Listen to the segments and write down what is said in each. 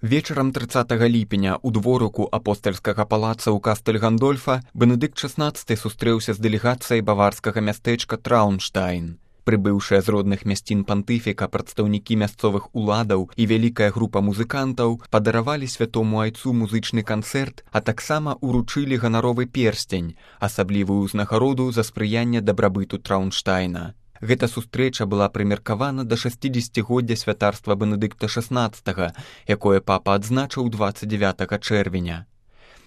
Вечарам 30 ліпеня ў дворыку апостальскага палаца ў Кастэль-Гандольфа Бенедыкт XVI сустрэўся з дэлегацыяй баварскага мястэчка Траўнштайн. Прыбыўшыя з родных мясцін пантыфіка прадстаўнікі мясцовых уладаў і вялікая група музыкантаў падаравалі святому айцу музычны канцэрт, а таксама ўручылі ганаровы перстень, асаблівую ўзнагароду за спрыянне дабрабыту Траўнштайна. Гэта сустрэча была прымеркавана да 60-годдзя святарства Бенедыкта XVI, якое папа адзначыў 29 чэрвеня.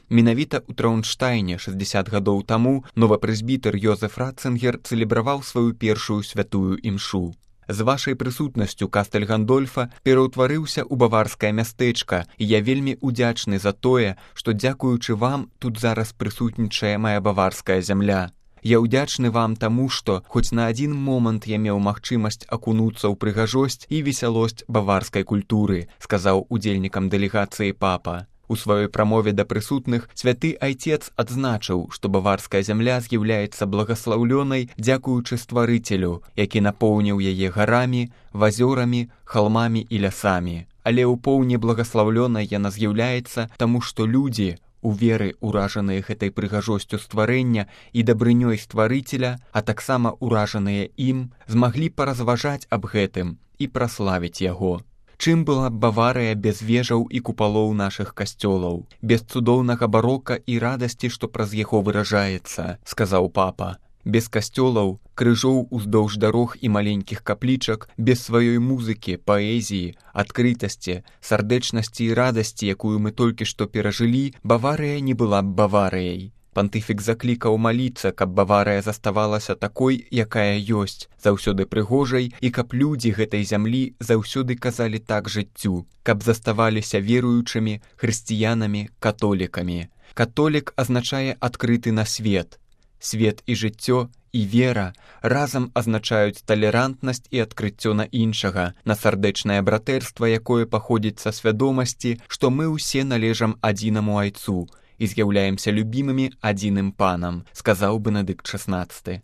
Менавіта ў Траўнштайне 60 гадоў таму новапрэзбітэр Йозеф Ратцынгер цэлебраваў сваю першую святую імшу. З вашай прысутнасцю Кастэль-Гандольфа пераўтварыўся ў баварскае мястэчка, і я вельмі ўдзячны за тое, што дзякуючы вам тут зараз прысутнічае мая баварская зямля. Я ўдзячны вам таму, што хоць на адзін момант я меў магчымасць акунуцца ў прыгажосць і весялосць баварскай культуры, сказаў удзельнікам дэлегацыі папа. У сваёй прамове да прысутных святы айцец адзначыў, што баварская зямля з'яўляецца благаслаўлёнай дзякуючы стварыцелю, які напоўніў яе гарамі, вазёрамі, халмамі і лясамі. Але ў поўні благаслаўлёнай яна з'яўляецца, таму што людзі, у веры ўражаныя гэтай прыгажосцю стварэння і дабрынёй стварыцеля, а таксама ўражаныя ім, змаглі паразважаць аб гэтым і праславіць яго. Чым была б Баварыя без вежаў і купалоў нашых касцёлаў, без цудоўнага барока і радасці, што праз яго выражаецца, сказаў папа. Без касцёлаў, крыжоў уздоўж дарог і маленькіх каплічак, без сваёй музыкі, паэзіі, адкрытасці, сардэчнасці і радасці, якую мы толькі што перажылі, Баварыя не была б Баварыяй. Пантыфік заклікаў маліцца, каб Баварыя заставалася такой, якая ёсць, заўсёды прыгожай, і каб людзі гэтай зямлі заўсёды казалі так жыццю, каб заставаліся веруючымі, хрысціянамі, католікамі. Католік азначае адкрыты на свет. Свет і жыццё, і вера разам азначаюць талерантнасць і адкрыццё на іншага, на сардэчнае братэрства, якое паходзіць са свядомасці, што мы ўсе належам адзінаму айцу і з'яўляемся любімымі адзіным панам, сказаў Бенедыкт XVI.